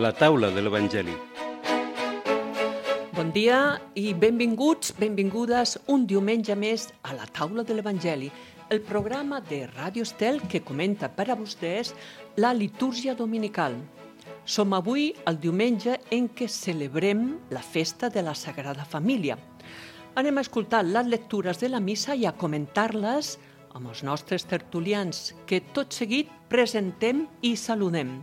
La taula de l'Evangeli. Bon dia i benvinguts, benvingudes un diumenge més a la taula de l'Evangeli, el programa de Ràdio Estel que comenta per a vostès la litúrgia dominical. Som avui el diumenge en què celebrem la festa de la Sagrada Família. Anem a escoltar les lectures de la missa i a comentar-les amb els nostres tertulians, que tot seguit presentem i saludem.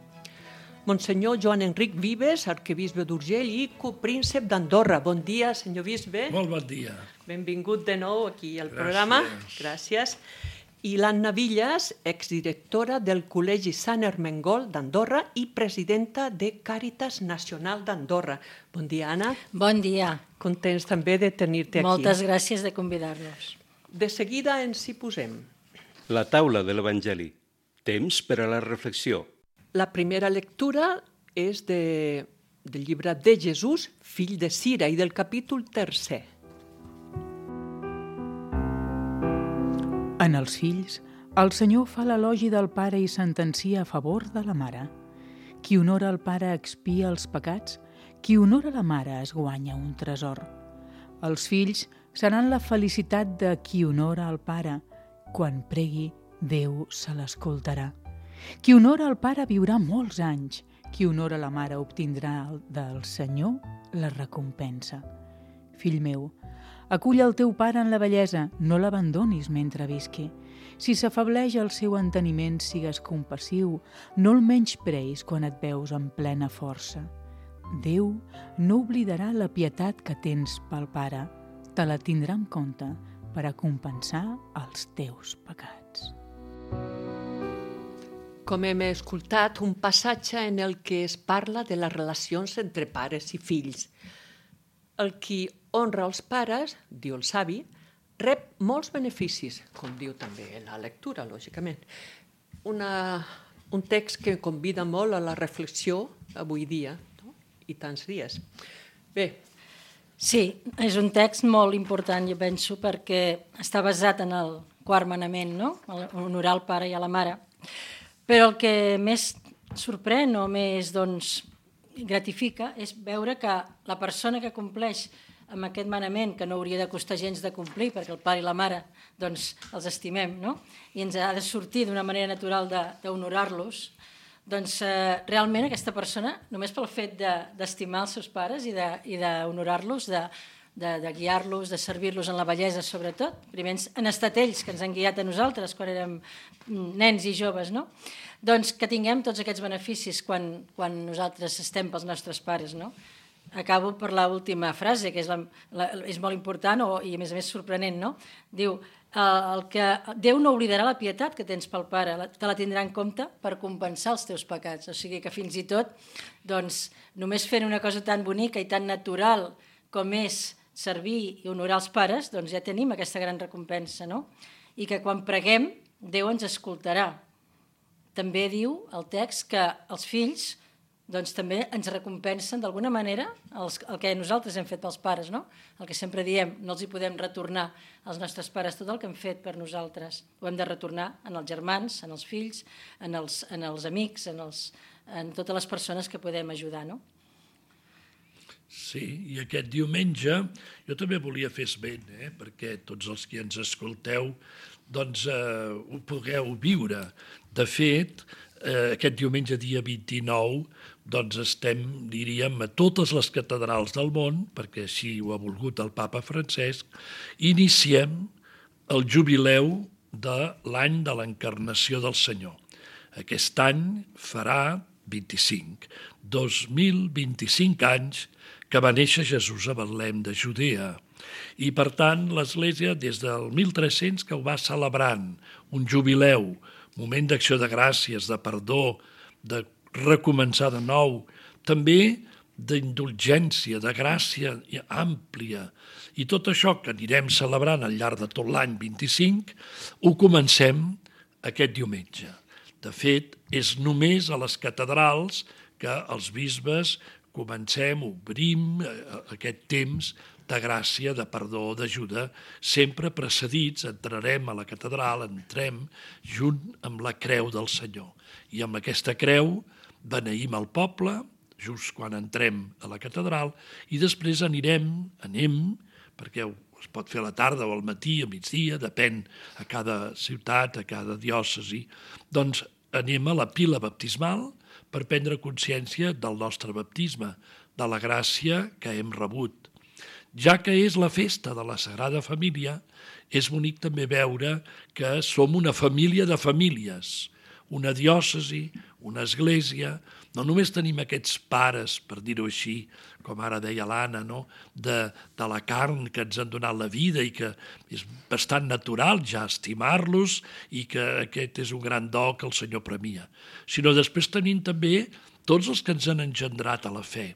Monsenyor Joan Enric Vives, arquebisbe d'Urgell i copríncep d'Andorra. Bon dia, senyor bisbe. Molt bon dia. Benvingut de nou aquí al programa. Gràcies. I l'Anna Villas, exdirectora del Col·legi Sant Ermengol d'Andorra i presidenta de Càritas Nacional d'Andorra. Bon dia, Anna. Bon dia. Contents també de tenir-te aquí. Moltes gràcies de convidar-nos. De seguida ens hi posem. La taula de l'Evangeli. Temps per a la reflexió. La primera lectura és del llibre de Jesús, fill de Sira, i del capítol 3. En els fills, el Senyor fa l'elogi del pare i sentencia a favor de la mare. Qui honora el pare expia els pecats, qui honora la mare es guanya un tresor. Els fills seran la felicitat de qui honora el pare. Quan pregui, Déu se l'escoltarà. Qui honora el pare viurà molts anys. Qui honora la mare obtindrà del Senyor la recompensa. Fill meu, acull el teu pare en la vellesa, no l'abandonis mentre visqui. Si s'afableix el seu enteniment, sigues compassiu, no el menyspreis quan et veus en plena força. Déu no oblidarà la pietat que tens pel pare, te la tindrà en compte per a compensar els teus pecats. Com hem escoltat, un passatge en el que es parla de les relacions entre pares i fills. El qui honra els pares, diu el savi, rep molts beneficis, com diu també la lectura, lògicament. Un text que convida molt a la reflexió avui dia, no? I tants dies. Bé. Sí, és un text molt important, jo penso, perquè està basat en el quart manament, no? Honorar el pare i a la mare. Però el que més sorprèn o més gratifica és veure que la persona que compleix amb aquest manament, que no hauria de costar gens de complir, perquè el pare i la mare els estimem, no? I ens ha de sortir d'una manera natural d'honorar-los, realment aquesta persona, només pel fet d'estimar els seus pares i d'honorar-los, de guiar-los, de servir-los en la bellesa sobretot. Primer han estat ells que ens han guiat a nosaltres quan érem nens i joves, no? Doncs que tinguem tots aquests beneficis quan nosaltres estem pels nostres pares, no? Acabo per l'última frase, que és molt important i a més sorprenent, no? Diu, que Déu no oblidarà la pietat que tens pel pare, te la tindrà en compte per compensar els teus pecats. O sigui que fins i tot, només fent una cosa tan bonica i tan natural com és servir i honorar els pares, ja tenim aquesta gran recompensa, no? I que quan preguem, Déu ens escoltarà. També diu el text que els fills també ens recompensen d'alguna manera el que nosaltres hem fet pels pares, no? El que sempre diem, no els hi podem retornar als nostres pares tot el que han fet per nosaltres. Ho hem de retornar en els germans, en els fills, en els amics, en totes les persones que podem ajudar, no? Sí, i aquest diumenge jo també volia fer esment, perquè tots els que ens escolteu ho pugueu viure. De fet, aquest diumenge dia 29 estem, diríem, a totes les catedrals del món, perquè així ho ha volgut el papa Francesc, iniciem el jubileu de l'any de l'encarnació del Senyor. Aquest any farà 2025 anys que va néixer Jesús a Betlem de Judea. I, per tant, l'Església, des del 1300, que ho va celebrant, un jubileu, moment d'acció de gràcies, de perdó, de recomençar de nou, també d'indulgència, de gràcia àmplia. I tot això que anirem celebrant al llarg de tot l'any 25, ho comencem aquest diumenge. De fet, és només a les catedrals que els bisbes comencem, obrim aquest temps de gràcia, de perdó, d'ajuda, sempre precedits, entrarem a la catedral, entrem junt amb la creu del Senyor. I amb aquesta creu beneïm el poble, just quan entrem a la catedral, i després anem, perquè es pot fer a la tarda o al matí, a migdia, depèn a cada ciutat, a cada diòcesi, doncs anem a la pila baptismal per prendre consciència del nostre baptisme, de la gràcia que hem rebut. Ja que és la festa de la Sagrada Família, és bonic també veure que som una família de famílies, una diòcesi, una església. No només tenim aquests pares, per dir-ho així, com ara deia l'Anna, no? de la carn que ens han donat la vida i que és bastant natural ja estimar-los i que aquest és un gran do que el Senyor premia, sinó després tenim també tots els que ens han engendrat a la fe,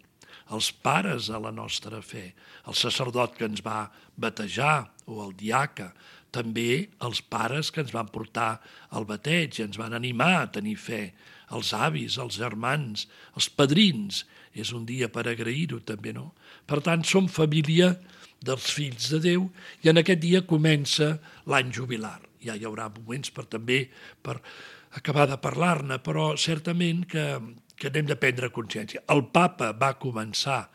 els pares a la nostra fe, el sacerdot que ens va batejar o el diaca, també els pares que ens van portar al bateig i ens van animar a tenir fe, els avis, els germans, els padrins. És un dia per agrair-ho també, no? Per tant, som família dels fills de Déu i en aquest dia comença l'any jubilar. Ja hi haurà moments per acabar de parlar-ne, però certament que n'hem de prendre consciència. El papa va començar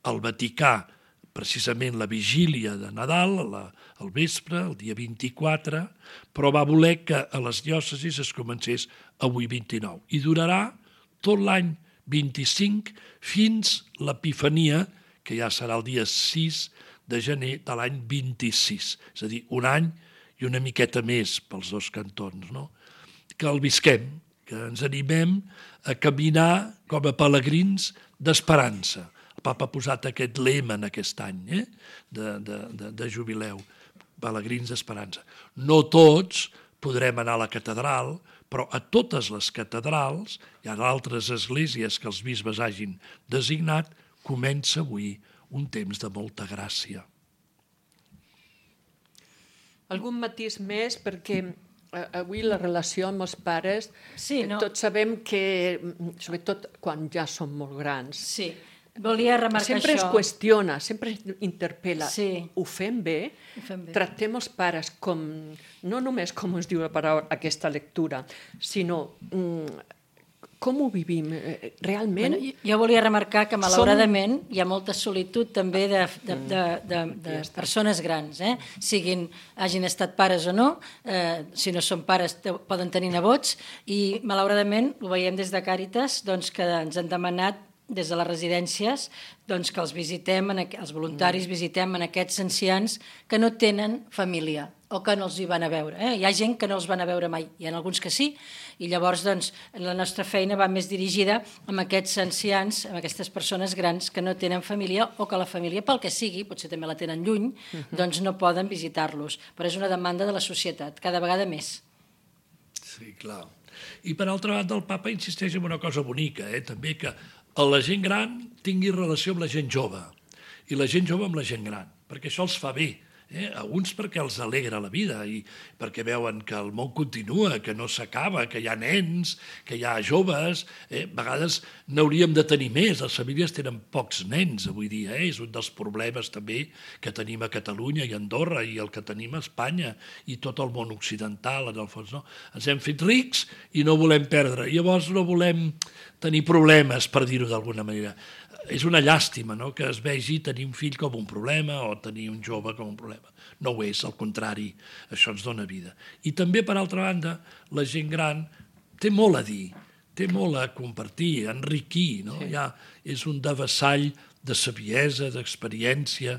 al Vaticà precisament la vigília de Nadal, al vespre, el dia 24, però va voler que a les diòcesis es comencés avui 29. I durarà tot l'any 25 fins l'Epifania, que ja serà el dia 6 de gener de l'any 26. És a dir, un any i una miqueta més pels dos cantons, no? Que el visquem, que ens animem a caminar com a pelegrins d'esperança. El papa ha posat aquest lema en aquest any de jubileu, pelegrins d'esperança. No tots podrem anar a la catedral, però a totes les catedrals, hi ha altres esglésies que els bisbes hagin designat, comença avui un temps de molta gràcia. Algun matís més, perquè avui la relació amb els pares, Sí, no? tots sabem que, sobretot quan ja som molt grans, Sí, volia remarcar sempre es això. qüestiona, sempre es interpel·la. Sí. Ho fem bé? Ho fem bé. Tractem els pares com, no només com es diu la paraula, aquesta lectura, sinó com ho vivim realment. Bueno, jo volia remarcar que malauradament hi ha molta solitud també de persones grans, hagin estat pares o no, si no són pares poden tenir nebots, i malauradament ho veiem des de Càritas, doncs, que ens han demanat des de les residències doncs, que els visitem, els voluntaris visitem en aquests ancians que no tenen família o que no els hi van a veure. Hi ha gent que no els van a veure mai, hi ha alguns que sí, i llavors doncs, la nostra feina va més dirigida amb aquests ancians, amb aquestes persones grans que no tenen família o que la família, pel que sigui, potser també la tenen lluny, doncs no poden visitar-los. Però és una demanda de la societat, cada vegada més. Sí, clar. I per altra banda, el papa insisteix en una cosa bonica, també que la gent gran tingui relació amb la gent jove i la gent jove amb la gent gran, perquè això els fa bé. A uns perquè els alegra la vida i perquè veuen que el món continua, que no s'acaba, que hi ha nens, que hi ha joves. A vegades n'hauríem de tenir més. Les famílies tenen pocs nens avui dia. És un dels problemes també que tenim a Catalunya i a Andorra i el que tenim a Espanya i tot el món occidental, en el fons. No? Ens hem fet rics i no volem perdre. Llavors no volem tenir problemes, per dir-ho d'alguna manera. És una llàstima, no?, que es vegi tenir un fill com un problema o tenir un jove com un problema. No ho és, al contrari, això ens dona vida. I també, per altra banda, la gent gran té molt a dir, té molt a compartir, a enriquir, no? Sí. Ja és un devessall de saviesa, d'experiència.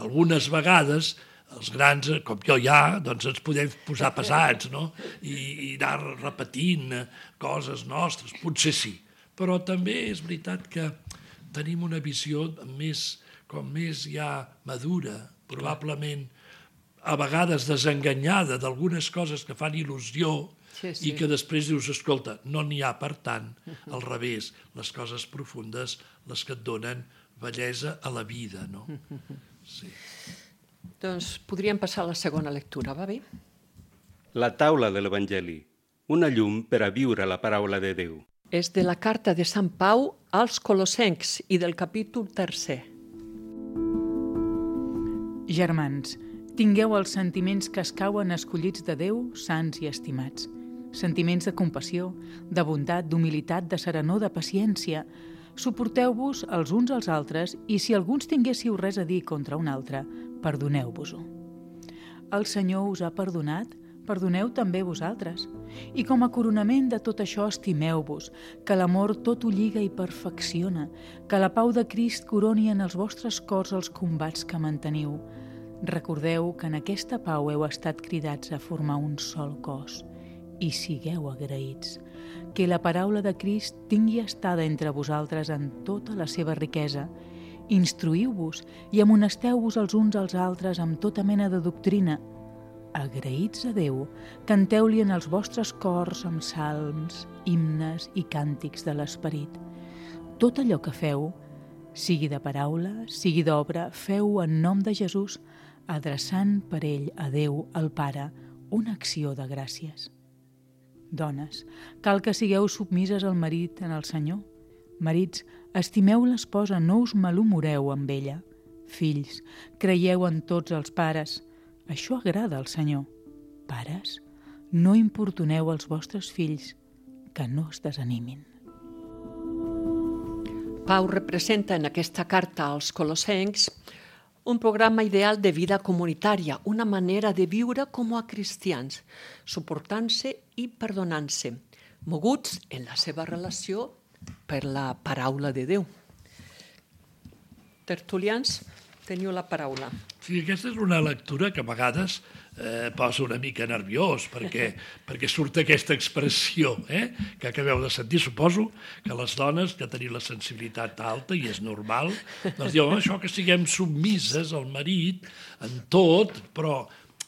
Algunes vegades els grans, com jo ja, doncs ens podem posar pesats, no? I anar repetint coses nostres, potser sí. Però també és veritat que tenim una visió més ja madura, probablement a vegades desenganyada d'algunes coses que fan il·lusió i que després dius, escolta, no n'hi ha per tant, al revés, les coses profundes, les que et donen bellesa a la vida, no? Sí. Doncs podríem passar a la segona lectura, va bé? La taula de l'Evangeli, una llum per a viure la paraula de Déu. És de la carta de Sant Pau als Colossencs i del capítol 3. Germans, tingueu els sentiments que escauen escollits de Déu, sants i estimats. Sentiments de compassió, de bondat, d'humilitat, de serenor, de paciència. Suporteu-vos els uns als altres i si alguns tinguéssiu res a dir contra un altre, perdoneu-vos-ho. El Senyor us ha perdonat, perdoneu també vosaltres. I com a coronament de tot això estimeu-vos, que l'amor tot ho lliga i perfecciona, que la pau de Crist coroni en els vostres cors els combats que manteniu. Recordeu que en aquesta pau heu estat cridats a formar un sol cos i sigueu agraïts. Que la paraula de Crist tingui estada entre vosaltres en tota la seva riquesa. Instruïu-vos i amonesteu-vos els uns als altres amb tota mena de doctrina. Agraïts a Déu, canteu-li en els vostres cors amb salms, himnes i càntics de l'esperit. Tot allò que feu, sigui de paraula, sigui d'obra, feu en nom de Jesús, adreçant per ell a Déu, el Pare, una acció de gràcies. Dones, cal que sigueu submises al marit en el Senyor. Marits, estimeu l'esposa, no us malhumoreu amb ella. Fills, creieu en tots els pares. Això agrada al Senyor. Pares, no importuneu els vostres fills, que no es desanimin. Pau representa en aquesta carta als colossencs un programa ideal de vida comunitària, una manera de viure com a cristians, suportant-se i perdonant-se, moguts en la seva relació per la paraula de Déu. Tertulians, teniu la paraula. Sí, aquesta és una lectura que a vegades posa una mica nerviós, perquè surt aquesta expressió que acabeu de sentir. Suposo que les dones que teniu la sensibilitat alta, i és normal, doncs diuen això que siguem submises al marit en tot, però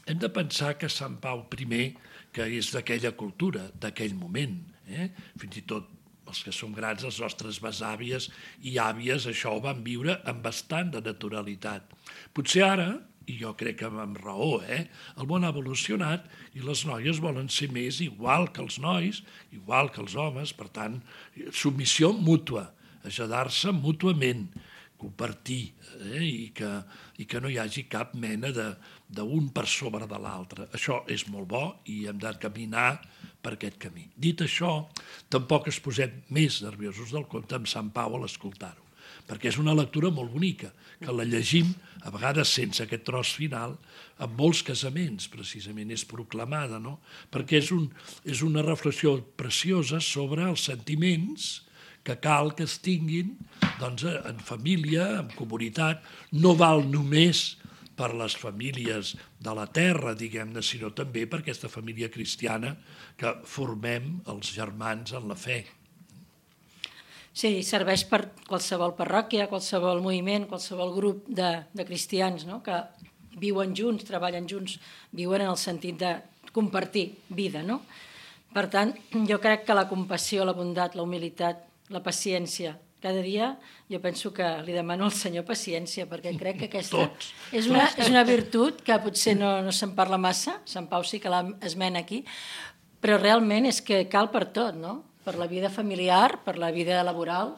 hem de pensar que Sant Pau I, que és d'aquella cultura, d'aquell moment, fins i tot els que som grans, les nostres besàvies i àvies, això ho van viure amb bastant de naturalitat. Potser ara, i jo crec que amb raó, el món ha evolucionat i les noies volen ser més igual que els nois, igual que els homes, per tant, submissió mútua, ajudar-se mútuament, compartir, i que no hi hagi cap mena d'un per sobre de l'altre. Això és molt bo i hem de caminar per aquest camí. Dit això, tampoc es posem més nerviosos del compte amb Sant Pau a l'escoltar-ho, perquè és una lectura molt bonica, que la llegim, a vegades sense aquest tros final, en molts casaments, precisament, és proclamada, no? Perquè és una reflexió preciosa sobre els sentiments que cal que es tinguin doncs, en família, en comunitat. No val només per les famílies de la terra, diguem-ne, sinó també per aquesta família cristiana que formem els germans en la fe. Sí, serveix per qualsevol parròquia, qualsevol moviment, qualsevol grup de cristians, no? Que viuen junts, treballen junts, viuen en el sentit de compartir vida, no? Per tant, jo crec que la compassió, la bondat, la humilitat, la paciència, cada dia jo penso que li demano al Senyor paciència, perquè crec que aquesta és una virtut que potser no se'n parla massa, Sant Pau sí que l'esmena aquí, però realment és que cal per tot, no? Per la vida familiar, per la vida laboral,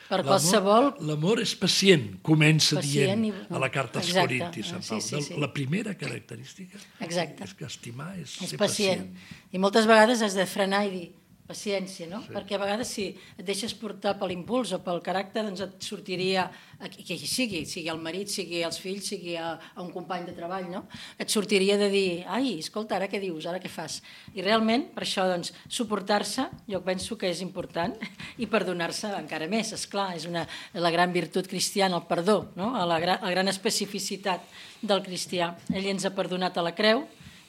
per qualsevol... L'amor és pacient, comença dient a la carta als Corintis, Sant Pau. Sí. La primera característica és que estimar és ser pacient. I moltes vegades has de frenar i dir paciència, no? Sí. Perquè a vegades si et deixes portar per l'impuls o pel caràcter, doncs et sortiria, que sigui el marit, sigui els fills, sigui a un company de treball, no? Et sortiria de dir, ai, escolta, ara què dius, ara què fas? I realment, per això, doncs, suportar-se, jo penso que és important, i perdonar-se encara més, esclar, és la gran virtut cristiana, el perdó, no? La gran especificitat del cristià. Ell ens ha perdonat a la creu,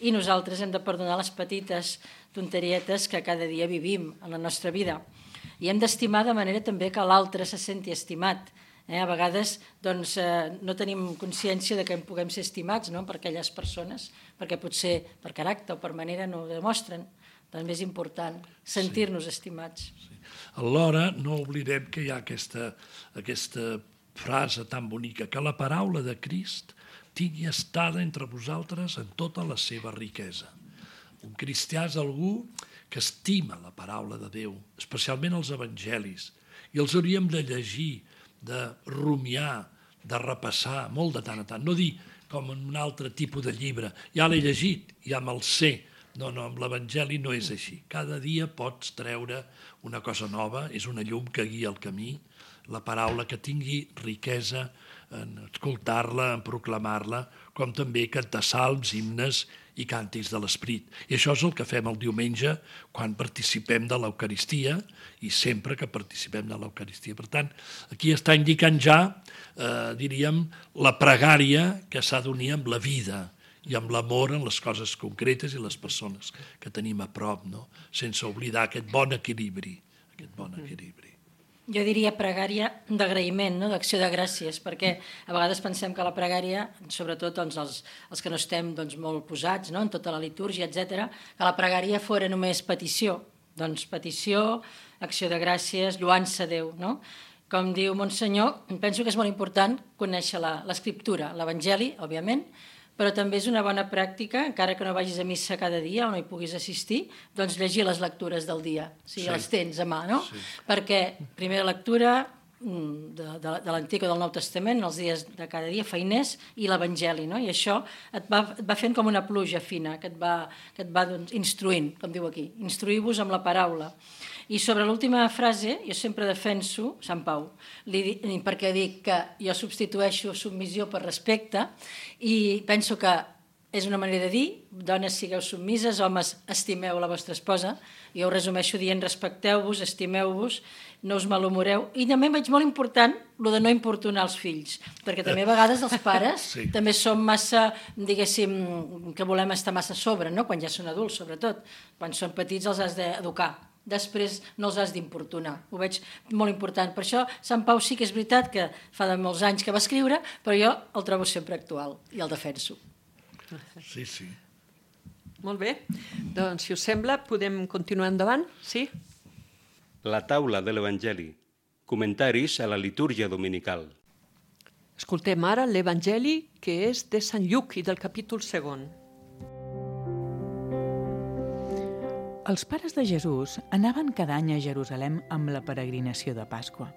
i nosaltres hem de perdonar les petites tonterietes que cada dia vivim en la nostra vida. I hem d'estimar de manera també que l'altre se senti estimat. A vegades doncs, no tenim consciència de que en puguem ser estimats, no? Per aquelles persones, perquè potser per caràcter o per manera no ho demostren. També és important sentir-nos estimats. Sí. Alhora, no oblidem que hi ha aquesta frase tan bonica, que la paraula de Crist tingui estada entre vosaltres en tota la seva riquesa. Un cristià és algú que estima la paraula de Déu, especialment els evangelis, i els hauríem de llegir, de rumiar, de repassar, molt de tant a tant. No dir com en un altre tipus de llibre, ja l'he llegit, ja me'l sé, No, amb l'Evangeli no és així. Cada dia pots treure una cosa nova, és una llum que guia el camí, la paraula que tingui riquesa en escoltar-la, en proclamar-la, com també cantar salms, himnes i càntics de l'Esperit. I això és el que fem el diumenge quan participem de l'Eucaristia i sempre que participem de l'Eucaristia. Per tant, aquí està indicant ja, diríem, la pregària que s'ha d'unir amb la vida i amb l'amor en les coses concretes i les persones que tenim a prop, no? Sense oblidar aquest bon equilibri. Jo diria pregària d'agraïment, no? D'acció de gràcies, perquè a vegades pensem que la pregària, sobretot els que no estem molt posats, no? En tota la litúrgia, etc., que la pregària fora només petició. Doncs petició, acció de gràcies, lloança a Déu, no? Com diu Monsenyor, penso que és molt important conèixer l'Escriptura, l'Evangeli, òbviament, però també és una bona pràctica, encara que no vagis a missa cada dia o no hi puguis assistir, doncs llegir les lectures del dia, si les tens a mà, no? Sí. Perquè primera lectura de l'Antic o del Nou Testament, els dies de cada dia, feiners, i l'Evangeli, no? I això et va fent com una pluja fina, que et va instruint, com diu aquí, instruir-vos amb la paraula. I sobre l'última frase, jo sempre defenso Sant Pau, perquè dic que jo substitueixo submissió per respecte i penso que és una manera de dir, dones sigueu submises, homes estimeu la vostra esposa, jo ho resumeixo dient respecteu-vos, estimeu-vos, no us malhumoreu, i també veig molt important el de no importunar els fills, perquè també a vegades els pares també som massa, diguéssim, que volem estar massa a sobre, no? Quan ja són adults, sobretot, quan són petits els has d'educar. Després no els has d'importunar. Ho veig molt important. Per això Sant Pau sí que és veritat que fa de molts anys que va escriure, però jo el trobo sempre actual i el defenso. Sí. Molt bé. Doncs, si us sembla, podem continuar endavant? Sí? La taula de l'Evangeli. Comentaris a la litúrgia dominical. Escoltem ara l'Evangeli, que és de Sant Lluc i del capítol 2. Els pares de Jesús anaven cada any a Jerusalem amb la peregrinació de Pasqua.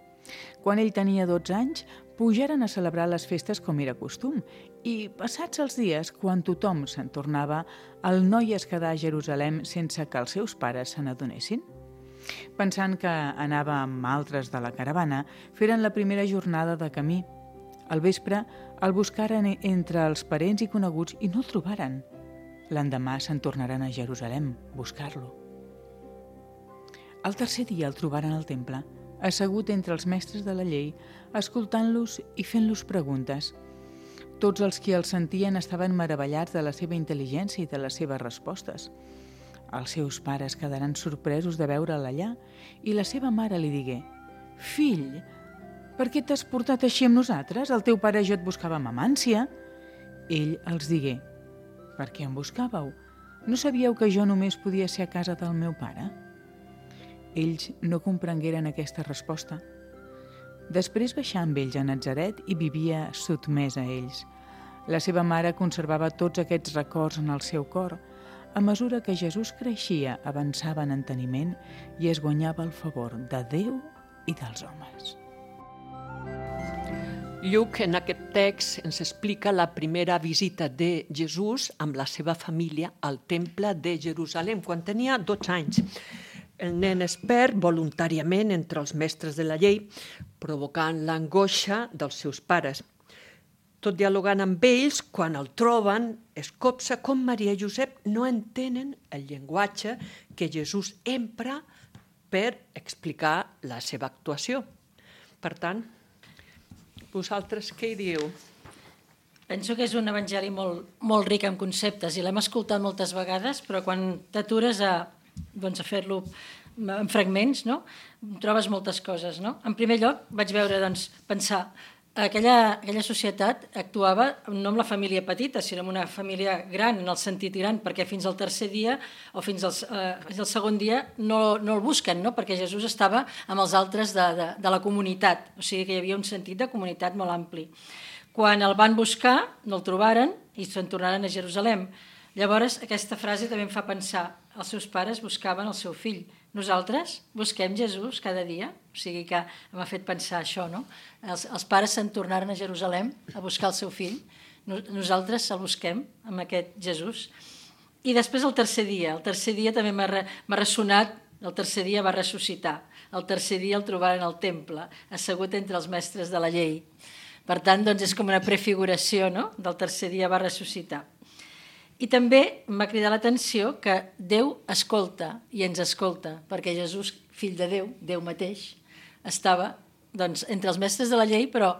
Quan ell tenia 12 anys, pujaren a celebrar les festes com era costum i, passats els dies, quan tothom se'n tornava, el noi es quedà a Jerusalem sense que els seus pares se n'adonessin. Pensant que anava amb altres de la caravana, feren la primera jornada de camí. Al vespre el buscaren entre els parents i coneguts i no el trobaren. L'endemà se'n tornaren a Jerusalem, buscar-lo. El tercer dia el trobaren al temple, assegut entre els mestres de la llei, escoltant-los i fent-los preguntes. Tots els qui el sentien estaven meravellats de la seva intel·ligència i de les seves respostes. Els seus pares quedaren sorpresos de veure'l allà i la seva mare li digué: «Fill, per què t'has portat així amb nosaltres? El teu pare i jo et buscàvem amb ànsia». Ell els digué: «Per què em buscàveu? No sabíeu que jo només podia ser a casa del meu pare?» Ells no comprengueren aquesta resposta. Després baixà amb ells a Natzaret i vivia sotmès a ells. La seva mare conservava tots aquests records en el seu cor. A mesura que Jesús creixia, avançava en enteniment i es guanyava el favor de Déu i dels homes. Lluc, en aquest text, ens explica la primera visita de Jesús amb la seva família al temple de Jerusalem, quan tenia 12 anys. El nen es perd voluntàriament entre els mestres de la llei, provocant l'angoixa dels seus pares. Tot dialogant amb ells, quan el troben, es copsa com Maria i Josep no entenen el llenguatge que Jesús empra per explicar la seva actuació. Per tant, vosaltres què hi dieu? Penso que és un evangeli molt ric en conceptes i l'hem escoltat moltes vegades, però quan t'atures a fer-lo en fragments, no? Trobes moltes coses. No? En primer lloc, vaig veure, pensar, aquella societat actuava no amb la família petita, sinó amb una família gran, en el sentit gran, perquè fins al tercer dia o fins al segon dia no el busquen, no? Perquè Jesús estava amb els altres de la comunitat, o sigui que hi havia un sentit de comunitat molt ampli. Quan el van buscar, no el trobaren i se'n tornaren a Jerusalem. Llavors, aquesta frase també em fa pensar, els seus pares buscaven el seu fill. Nosaltres busquem Jesús cada dia, o sigui que m'ha fet pensar això, no? Els pares se'n tornaren a Jerusalem a buscar el seu fill, nosaltres el busquem amb aquest Jesús. I després el tercer dia també m'ha ressonat, el tercer dia va ressuscitar, el tercer dia el trobaren al temple, assegut entre els mestres de la llei. Per tant, doncs, és com una prefiguració, no?, del tercer dia va ressuscitar. I també m'ha cridat l'atenció que Déu escolta i ens escolta, perquè Jesús, fill de Déu, Déu mateix, estava doncs, entre els mestres de la llei, però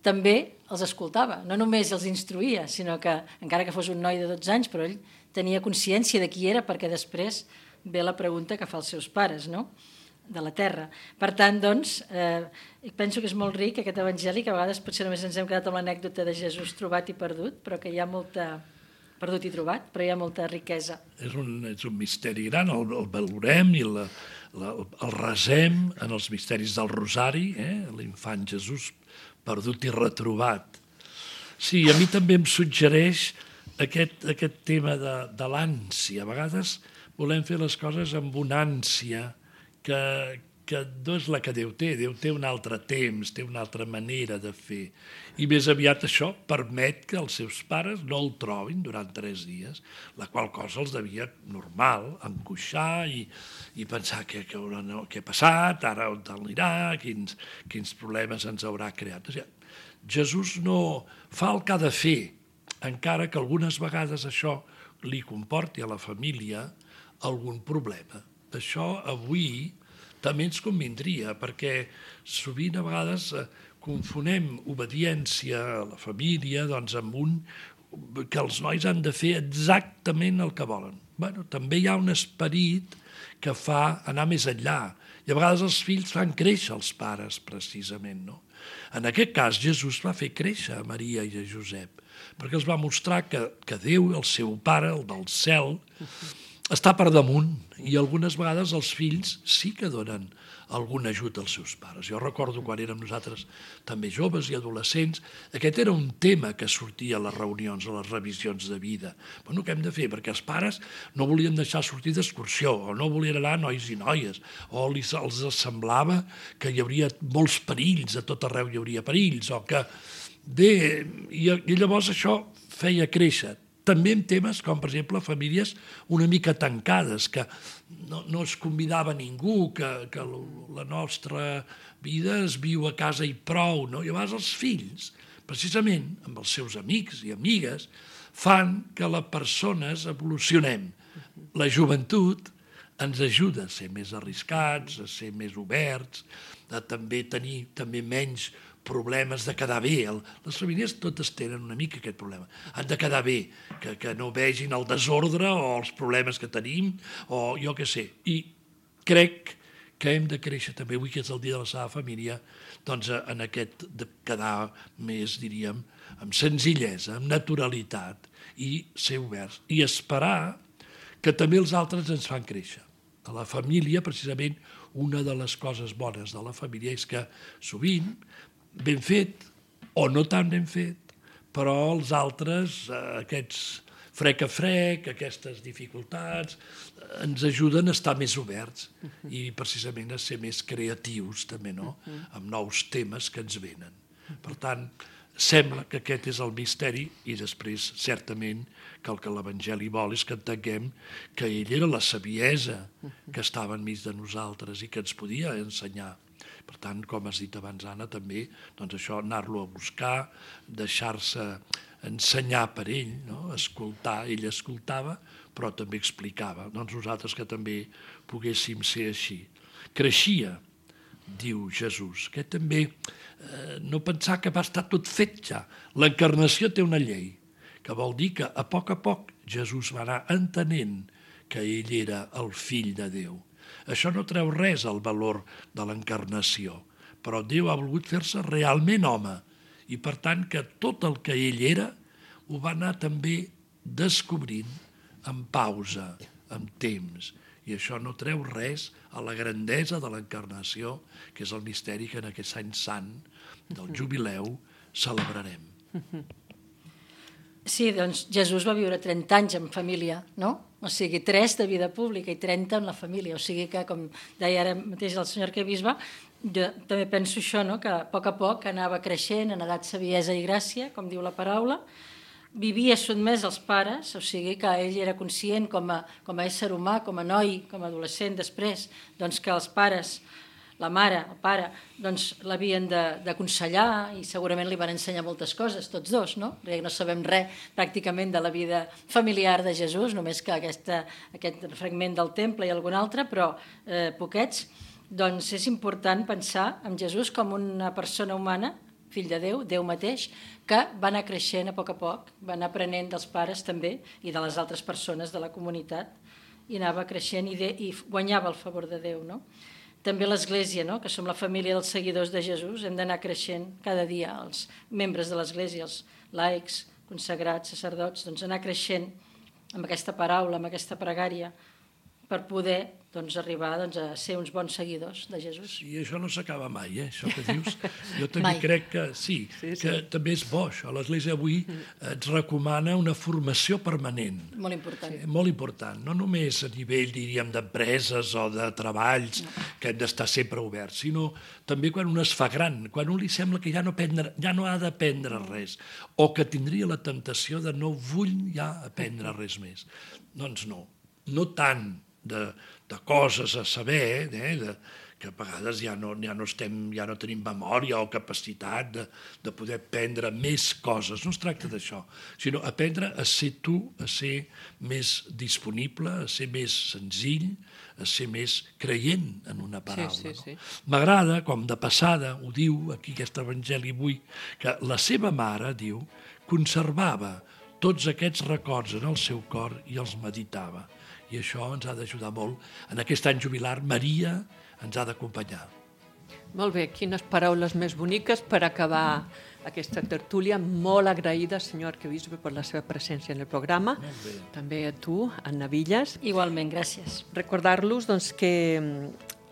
també els escoltava. No només els instruïa, sinó que, encara que fos un noi de 12 anys, però ell tenia consciència de qui era, perquè després ve la pregunta que fa als seus pares, no?, de la terra. Per tant, doncs, penso que és molt ric aquest evangeli, que a vegades potser només ens hem quedat amb l'anècdota de Jesús trobat i perdut, però que hi ha molta... perdut i trobat, però hi ha molta riquesa. És un misteri gran, el valorem i el resem en els misteris del Rosari, l'infant Jesús perdut i retrobat. Sí, a mi també em suggereix aquest tema de l'ànsia. A vegades volem fer les coses amb una ànsia que no és la que Déu té. Déu té un altre temps, té una altra manera de fer. I més aviat això permet que els seus pares no el trobin durant 3 dies, la qual cosa els devia normal, angoixar i pensar què ha passat, ara on anirà, quins problemes ens haurà creat. O sigui, Jesús no fa el que ha de fer, encara que algunes vegades això li comporti a la família algun problema. Això avui també ens convindria, perquè sovint a vegades confonem obediència a la família amb que els nois han de fer exactament el que volen. Bueno, també hi ha un esperit que fa anar més enllà. I a vegades els fills fan créixer els pares, precisament, no? En aquest cas, Jesús va fer créixer a Maria i a Josep, perquè els va mostrar que Déu, el seu pare, el del cel, està per damunt, i algunes vegades els fills sí que donen algun ajut als seus pares. Jo recordo quan érem nosaltres també joves i adolescents, aquest era un tema que sortia a les reunions, a les revisions de vida. Bueno, què hem de fer? Perquè els pares no volien deixar sortir d'excursió, o no volien anar nois i noies, o els semblava que hi hauria molts perills, a tot arreu hi hauria perills, o que... I llavors això feia créixer. També en temes com, per exemple, famílies una mica tancades, que no es convidava ningú, que la nostra vida es viu a casa i prou, no? I a vegades els fills, precisament amb els seus amics i amigues, fan que les persones evolucionem. La joventut ens ajuda a ser més arriscats, a ser més oberts, a també tenir menys problemes de quedar bé. Les famílies totes tenen una mica aquest problema. Han de quedar bé, que no vegin el desordre o els problemes que tenim, o jo què sé. I crec que hem de créixer també, avui que és el dia de la Sagrada Família, doncs en aquest de quedar més, diríem, amb senzillesa, amb naturalitat, i ser oberts. I esperar que també els altres ens fan créixer. A la família, precisament, una de les coses bones de la família és que sovint ben fet o no tan ben fet, però els altres, aquests frec a frec, aquestes dificultats, ens ajuden a estar més oberts i precisament a ser més creatius també, no?, amb nous temes que ens venen. Per tant, sembla que aquest és el misteri i després, certament, que el que l'Evangeli vol és que entenguem que ell era la saviesa que estava enmig de nosaltres i que ens podia ensenyar. Per tant, com has dit abans, Anna, també, doncs això, anar-lo a buscar, deixar-se ensenyar per ell, no? Escoltar, ell escoltava, però també explicava. Doncs nosaltres que també poguéssim ser així. Creixia, diu Jesús, que també no pensar que va estar tot fet ja. L'encarnació té una llei, que vol dir que a poc Jesús va anar entenent que ell era el fill de Déu. Això no treu res al valor de l'encarnació, però Déu ha volgut fer-se realment home i, per tant, que tot el que ell era ho va anar també descobrint amb pausa, amb temps. I això no treu res a la grandesa de l'encarnació, que és el misteri que en aquest any sant del jubileu celebrarem. Sí, doncs Jesús va viure 30 anys en família, no? O sigui, 3 de vida pública i 30 en la família. O sigui que, com deia ara mateix el senyor arquebisbe, jo també penso això, no?, que a poc anava creixent en edat, saviesa i gràcia, com diu la paraula, vivia sotmès als pares, o sigui que ell era conscient com a ésser humà, com a noi, com a adolescent després, doncs que els pares, la mare, el pare, doncs l'havien d'aconsellar i segurament li van ensenyar moltes coses, tots dos, no? Perquè no sabem res pràcticament de la vida familiar de Jesús, només que aquest fragment del temple i algun altre, però poquets. Doncs és important pensar en Jesús com una persona humana, fill de Déu, Déu mateix, que va anar creixent a poc, va anar aprenent dels pares també i de les altres persones de la comunitat i anava creixent i guanyava el favor de Déu, no? També l'Església, no? Que som la família dels seguidors de Jesús, hem d'anar creixent cada dia, els membres de l'Església, els laics, consagrats, sacerdots, doncs anar creixent amb aquesta paraula, amb aquesta pregària, per poder arribar a ser uns bons seguidors de Jesús. I això no s'acaba mai, això que dius. Jo també crec que sí, que també és bo això. L'Església avui ens recomana una formació permanent. Molt important. Molt important, no només a nivell, diríem, d'empreses o de treballs, que hem d'estar sempre oberts, sinó també quan un es fa gran, quan un li sembla que ja no ha d'aprendre res, o que tindria la temptació de no vull ja aprendre res més. Doncs no tant de coses a saber, que a vegades ja no tenim memòria o capacitat de poder aprendre més coses. No es tracta d'això, sinó aprendre a ser tu, a ser més disponible, a ser més senzill, a ser més creient en una paraula. Sí. M'agrada, com de passada, ho diu aquí aquest evangeli avui, que la seva mare, diu, conservava tots aquests records en el seu cor i els meditava. I això ens ha d'ajudar molt. En aquest any jubilar, Maria ens ha d'acompanyar. Molt bé, quines paraules més boniques per acabar aquesta tertúlia. Molt agraïda, senyor arquebisbe, per la seva presència en el programa. També a tu, Anna Villas. Igualment, gràcies. Recordar-los que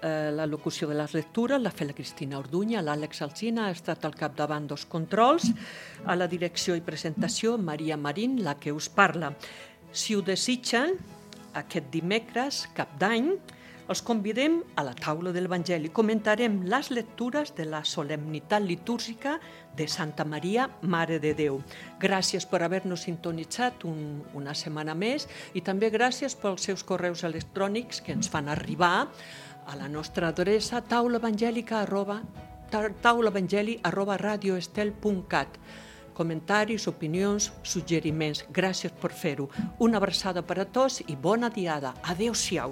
la locució de les lectures l'ha fet la Cristina Orduña, l'Àlex Alsina ha estat al capdavant dels controls, a la direcció i presentació Maria Marín, la que us parla. Si ho desitgen, aquest dimecres, cap d'any, els convidem a la taula de l'Evangeli. Comentarem les lectures de la solemnitat litúrgica de Santa Maria, Mare de Déu. Gràcies per haver-nos sintonitzat una setmana més i també gràcies pels seus correus electrònics que ens fan arribar a la nostra adreça taulaevangeli@radioestel.cat. Comentaris, opinions, suggeriments. Gràcies per fer-ho. Una abraçada per a tots i bona diada. Adéu-siau.